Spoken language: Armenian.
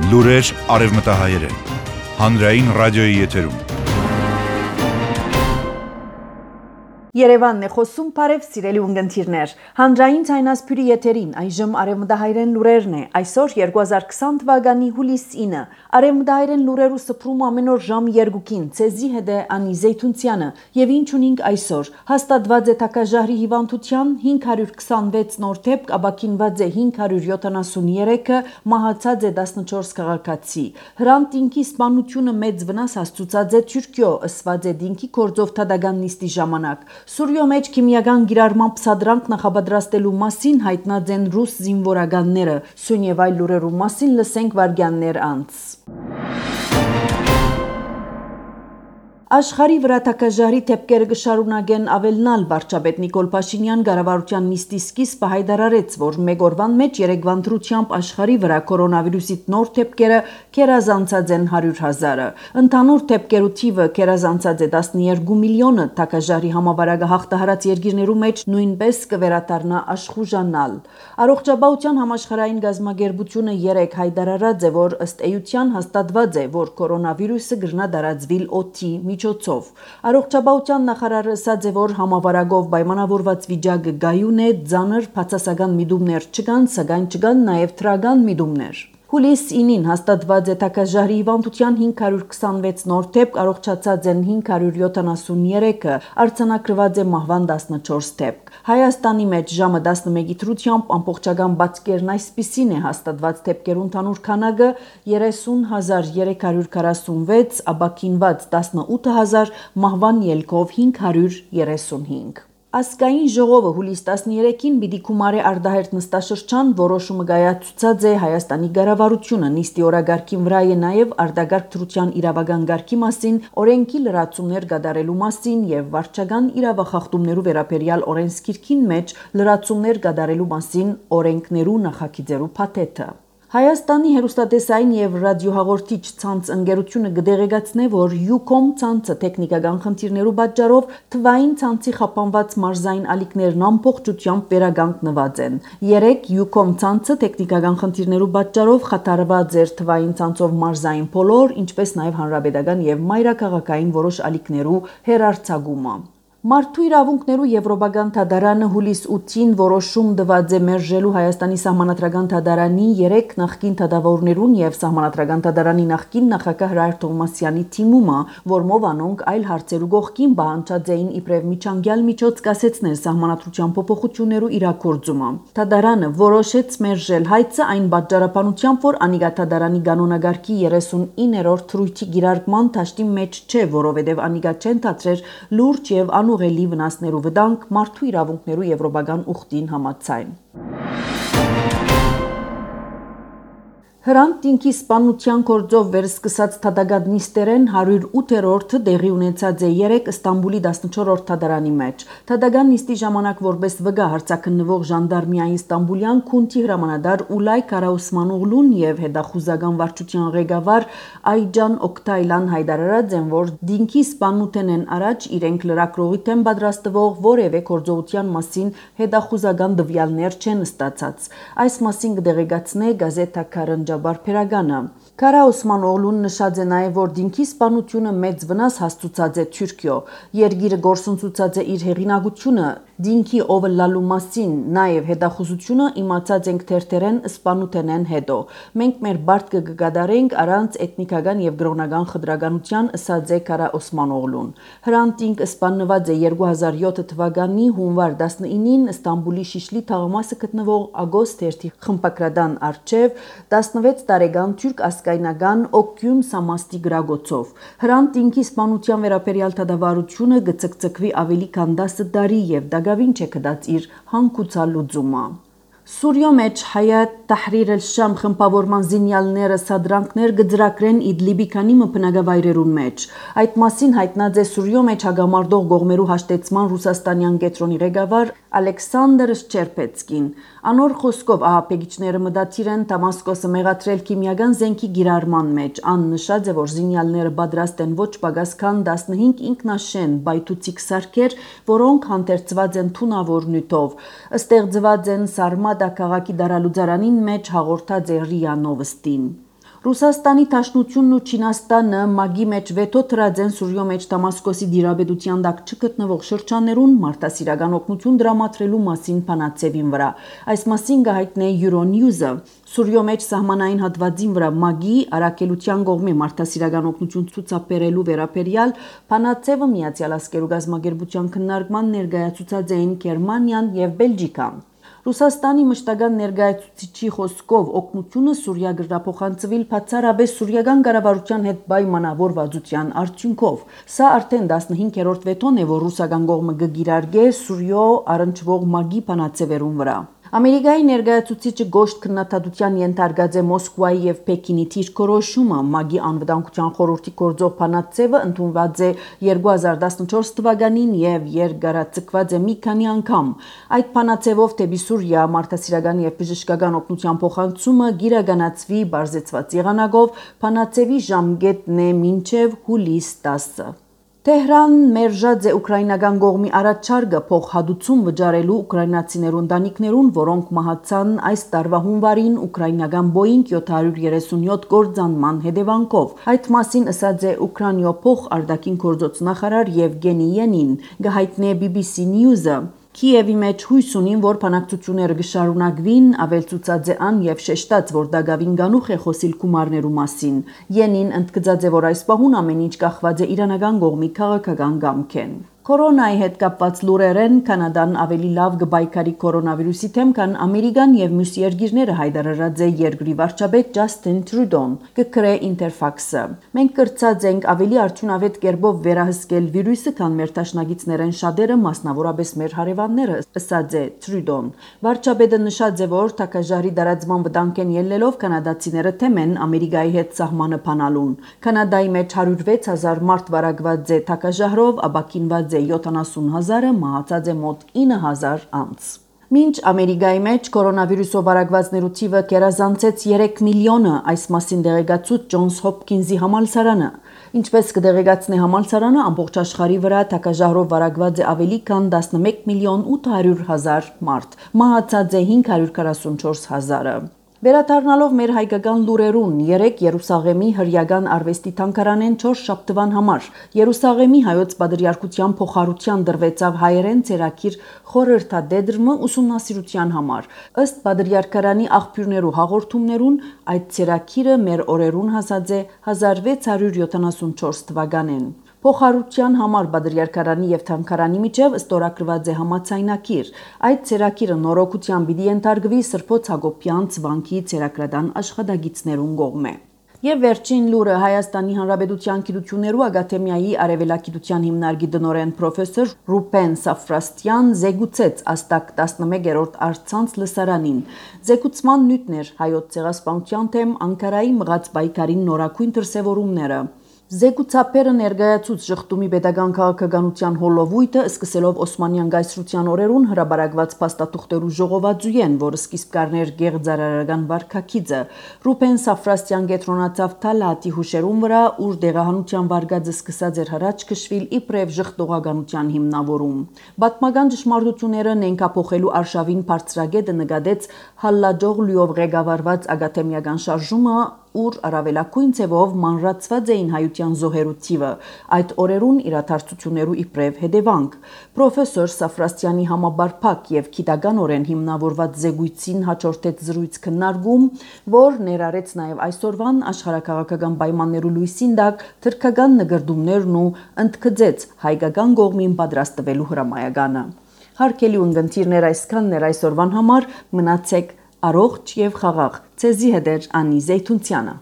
Լուրեր արևմտահայերեն, հանրային ռադիոյի եթերում։ Երևանն է խոսում, բարև սիրելի ունգընթիրներ։ Հանրային ցայնասփյուրի եթերին այժմ արևմտահայերեն լուրերն է։ Այսօր 2020 թվականի հուլիս 9։ Արևմտահայերեն լուրերու սփռում ամեն օր ժամ 2-ին ցեզի հետ է Անի Զեյթունցյանը եւ ինչ ունենք այսօր։ Հաստատված է Թակաժահրի հիվանդության 526 նոր դեպք, ապաքինված է 573-ը, մահացած է 14 քաղաքացի։ Հրանտ դինքի սպանությունը մեծ վնաս հասցուցած է Թուրքիո, ըսված է դինքի գործով թադական նիստի ժամանակ։ Սուրիո մեջ քիմիական գիրառման պսադրանք նախապատրաստելու մասին հայտնած են ռուս զինվորականները։ Սույն եւ այլ լուրերու մասին լսենք վարգյաններ անց։ Աշխարհի վրա Թակաժահրի դեպքերը կշարունակեն ավելնալ։ Վարչապետ Նիկոլ Փաշինյան կառավարության նիստի սկիզբը հայտարարեց, որ մեկ օրվան մեջ երեկվան դրությամբ աշխարհի վրա կորոնավիրուսի նոր դեպքերը կերազանցած են 100,000-ը։ Ընդհանուր դեպքերու թիվը կերազանցած է 12 միլիոնը։ Թակաժահրի համավարակը հաղթահարած երկիրներու մեջ նույնպես կվերադառնա աշխուժանալ։ Առողջապահության համաշխարհային գազագերբությունը 3 հայտարարած է, որ ըստ էության հաստատված է, որ կորոնավիրուսը կգրնա տարածվել օդի միջոցով։ Առողջապահության նախարարը ասաց է, որ համավարակով պայմանավորված վիճակը գայուն է, ծանր բացասական միտումներ չկան, սակայն չկան նաև դրական միտումներ։ Հուլիս 9-ին հաստատված է Թակաժահրի հիվանդության 526 նոր դեպք, առողջացած են 573-ը, արձանագրված է մահվան 14 դեպք։ Հայաստանի մեջ ժամը 11-ի դրությամբ ամբողջական բացկերն այսպիսին է հաստատված դեպքերու ընդհանուր քանակը 30,346, ապաքինված 18,000, մահվան ելքով 535։ Ազգային ժողովը հուլիս 13-ին պիտի գումարի արտահերթ նստաշրջան, որոշումը կայացուցած է Հայաստանի կառավարությունը։ Նիստի օրակարգին վրա է նաև արտագաղթ դրության իրավական կարգի մասին, օրենքի լրացումներ կատարելու մասին եւ վարչական իրավախախտումներու վերաբերյալ օրենսգիրքին մեջ լրացումներ կատարելու մասին օրենքներու նախագիծերու փաթեթը։ Հայաստանի հեռուստատեսային եւ ռադիոհաղորդիչ ցանց ընկերությունը կդեղեկացնե, որ Ucom ցանցը տեխնիկական խնդիրներու պատճառով թվային ցանցի խափանված մարզային ալիքներն ամբողջությամբ վերականգնված են։ 3 Ucom ցանցը տեխնիկական խնդիրներու պատճառով խաթարված էր թվային ցանցով մարզային բոլոր, ինչպես նաև հանրապետական եւ մայրաքաղաքային որոշ ալիքներու հերարցակումը։ Մարդու իրավունքներու եվրոպական դատարանը հուլիս 8-ին որոշում տված է մերժելու Հայաստանի սահմանադրական դատարանի 3 նախկին դատավորներուն եւ սահմանադրական դատարանի նախկին նախագահ Հրայր Թովմասյանի թիմումը, որմով անոնք այլ հարցերու կողքին պահանջած էին իբրև միջանկյալ միջոց կասեցնել սահմանադրության փոփոխություններու իրագործումը։ Դատարանը որոշեց մերժել հայցը այն պատճառաբանությամբ, որ անիկա դատարանի կանոնակարգի 39-րդ թրույթի գիրարկման դաշտի մեջ չէ, որովհետեւ անիկա չեն դադրեր լուրջ եւ անուղելի վնասներու վտանգ մարդու իրավունքներու եվրոպական ուխտին համաձայն։ Հրանտ դինքի սպանության գործով վերսկսած թադական նիստերեն 108-րդը տեղի ունեցած է 3 Ստամբուլի 14-րդ թադարանի մեջ։ Թադական նիստի ժամանակ որպես վգա հարցաքննվող ժանդարմիային Ստամբուլյան քունթի հրամանատար Ուլայ Կարաուսմանօղլուն եւ հետախուզական վարչության ղեկավար Այջան Օկտայլան հայտարարած են, որ դինքի սպանութենեն առաջ իրենք լրագրողի դեմ պատրաստվող որևէ գործողության մասին հետախուզական տվյալներ չեն ստացած։ Այս մասին կդեղեկացնե գազետա Բարբերականը։ Կարաուսմանօղլուն նշած է նաև, որ դինքի սպանությունը մեծ վնաս հասցուցած է Թուրքիո։ Երգիրը գործընծուցած է իր հեղինակությունը դինքի օվլալու մասին, նաև հետախուզությունը իմացած ենք թերթերեն սպանութենեն հետո։ Մենք մեր բարտկը կկատարենք առանց էթնիկական եւ գրոնական խտրականության, ըսած է Կարաուսմանօղլուն։ Հրանտ դինք սպանված է 2007 թվականի հունվար 19-ին Ստամբուլի Շիշլի թաղամասը գտնվող Ագոստ թերթի խմբակրատան առջև 16 տարեկան թուրք ասկայնական Օկյուն Սամաստի գրագոցով։ Հրանտ դինքի սպանության վերաբերյալ դատավարությունը կցկցկվի ավելի քան 10 տարի եւ դակավին չէ կդած իր հանգուցալուծումը։ Սուրիո մեջ Հայաթ Թահրիր el-Շամ խմբավորման զինյալները սադրանքներ կձրակրեն Իդլիբի քանի մփնագավայրերուն մեջ։ Այդ մասին հայտնած է Սուրիո մեջ հագամարտող գողմերու հաշտեցման ռուսաստանյան կենտրոնի ղեկավար Ալեքսանդր Շչերպեցկին։ Անոր խոսքով ահաբեկիչները մտադիր են Դամասկոսը մեղադրել քիմիական զենքի գիրառման մեջ։ Ան նշած է, որ զինյալները պատրաստ են ոչ պակաս քան 15 ինքնաշեն բայթուցիկ սարքեր, որոնք հանդերձված են թունավոր նյութով։ Ստեղծված են Սարմադա քաղաքի դարալուծարանին մեջ հաղորդած է ՌԻԱ Նովոստին։ Ռուսաստանի Դաշնությունն ու Չինաստանը ՄԱԳ-ի մեջ վետո թրած են Սուրյո մեջ Դամասկոսի դիրաբեդության տակ չգտնվող շրջաններուն մարդասիրական օգնություն դրամատրելու մասին փանացեվին վրա։ Այս մասին գահիտնե Euronews-ը։ Սուրյո մեջ սահմանային հատվածին վրա ՄԱԳ-ի առաքելության կողմի մարդասիրական օգնություն ցուցաբերելու վերաբերյալ փանացեվը Միացյալ Աշխարհի գազագերբության քննարկման ներկայացուցած էին Գերմանիան եւ Բելգիկան։ Ռուսաստանի մշտական ներկայացուցիչի խոսքով օգնությունը Սուրիա գրափոխանցվել բացառապես սուրիական կառավարության հետ պայմանավորվածության արդյունքով։ Սա արդեն 15-րդ վետոն է, որ ռուսական կողմը կգիրարկե Սուրիո առնչվող ՄԱԳ-ի փանացեվերուն վրա։ Ամերիկայի ներկայացուցիչը գոշտ քննադատության ենթարկած է Մոսկվայի եւ Պեկինի դիրքորոշումը ՄԱԳ-ի անվտանգության խորհրդի գործող փանացեվը ընդունված է 2014 թվականին եւ երկարաձգված է մի քանի անգամ։ Այդ փանացեվով դեպի Սուրիա մարդասիրական եւ բժշկական օգնության փոխանցումը գիրականացվի բարձեցված եղանակով փանացեվի ժամկետն է մինչեւ հուլիս 10-ը։ Թեհրան մերժած է ուկրաինական կողմի առաջարկը փոխհատուցում վճարելու ուկրաինացիներուն ընտանիքներուն, որոնք մահացան այս տարվա հունվարին ուկրաինական Boeing 737 գործանման հետևանքով։ Այդ մասին ասաց է Ուկրաինո փոխարտաքին գործոց նախարար Եվգենի Յենին, գահիտնե BBC News-ը։ Կիևի մեջ հույս ունին, որ բանակցությունները կշարունակվին, ավելցուցած է ան եւ շեշտած, որ դակավին գանուխ է խոսիլ գումարներու մասին։ Յենին ընդգծած է, որ այս պահուն ամեն ինչ կախված է իրանական կողմի քաղաքական կամքեն։ Կորոնայի հետ կապված լուրերեն Կանադան ավելի լավ կբայքարի կորոնավիրուսի դեմ, քան Ամերիկան եւ մյուս երկիրները հայտարարած է երկրի վարչապետ Ջասթին Տրյուդոն, կգրե Ինտերֆաքսը։ Մենք կրծած ենք ավելի արդյունավետ կերպով վերահսկել վիրուսը, քան մեր դաշնակիցներեն շատերը, մասնավորապես մեր հարևանները, ասաց է Տրյուդոն։ Վարչապետը նշած է, որ թակաժարի դարածման վտանգեն ելնելով կանադացիները թեմ են Ամերիկայի հետ սահմանը փանալուն։ Կանադայի մեջ 106,000 մարդ վարակված է թակաժարով, ապակինված 70,000-ը, մահացած է մոտ 9,000 անց։ Մինչ Ամերիկայի մեջ կորոնավիրուսով վարակվածներու թիվը կերազանցեց 3 միլիոնը, այս մասին դեղեկացուց Ջոնս Հոփքինզի համալսարանը։ Ինչպես կդեղեկացնի համալսարանը, ամբողջ աշխարհի վրա թակաժարով վարակված է ավելի քան 11 միլիոն 800 հազար մարդ, մահացած է 544,000-ը։ Վերադառնալով մեր հայկական լուրերուն, 3 Երուսաղեմի հրյական արվեստի թանգարանեն 4 շաբթվան համար Երուսաղեմի հայոց պատրիարքության փոխարության դրվեցավ հայերեն ցերակիր խորհրդադեդրմը ուսումնասիրության համար։ Ըստ պատրիարքարանի աղբյուրներու հաղորդումներուն, այդ ցերակիրը մեր օրերուն հասած է 1674 թվականին։ Փոխարության համար պատրիարքարանի եւ թանգարանի միջև ստորագրված է համաձայնագիր։ Այդ ցերակիրը նորոգության պիտի ենթարկվի Սրբոց Հակոբյան ցվանքի ցերակրական աշխատագիցներուն կողմէ։ Եվ վերջին լուրը Հայաստանի Հանրապետության Գիտություններու ակադեմիայի արևելագիտության հիմնարկի տնօրեն պրոֆեսոր Ռուբեն Սաֆրաստյան զեկուցեց Աստակ 11-րդ արցանց լսարանին։ Զեկուցման նյութներ հայոց ցեղասպանության թեմ Անկարայի մղած պայքարին նորակույն դրսևորումները։ Զեկուցապերը ներկայացուց շղթումի պետական քաղաքականության հոլովույթը սկսելով Օսմանյան գայսրության օրերուն հրաբարակված փաստաթուղթերու ժողովածուեն, որը սկիզբ կառներ գեղձարարական վարքագիծը։ Ռուբեն Սաֆրաստյան կետրոնացավ Թալատի հուշերուն վրա, ուր դեղահանության վարկածը սկսած էր հրաչ քշվել իբրև ժխտողականության հիմնավորում։ Պատմական ճշմարտությունները նենքափոխելու արշավին բարձրագետը նկատեց Հալլաջօղլուով ղեկավարված ակադեմիական շարժումը, ուր առավելագույն ձևով մանրացված էին հայության զոհերու թիվը, այդ օրերուն իրադարձություններու իբրև հետևանք։ Պրոֆեսոր Սաֆրաստյանի համաբարփակ եւ գիտականորեն հիմնավորված զեկույցին հաջորդեց զրույց քննարկում, որ ներառեց նաեւ այսօրվան աշխարհակաղակական պայմաններու լույսին տակ թրքական նկրդումներն ու ընդգծեց հայկական կողմին պատրաստվելու հրամայականը։ Հարգելի ունկնդիրներ, այսքանն էր այսօրվան համար, մնացեք առողջ եւ խաղաղ։ Ցեզի հետ է Անի Զեյթունցյանը։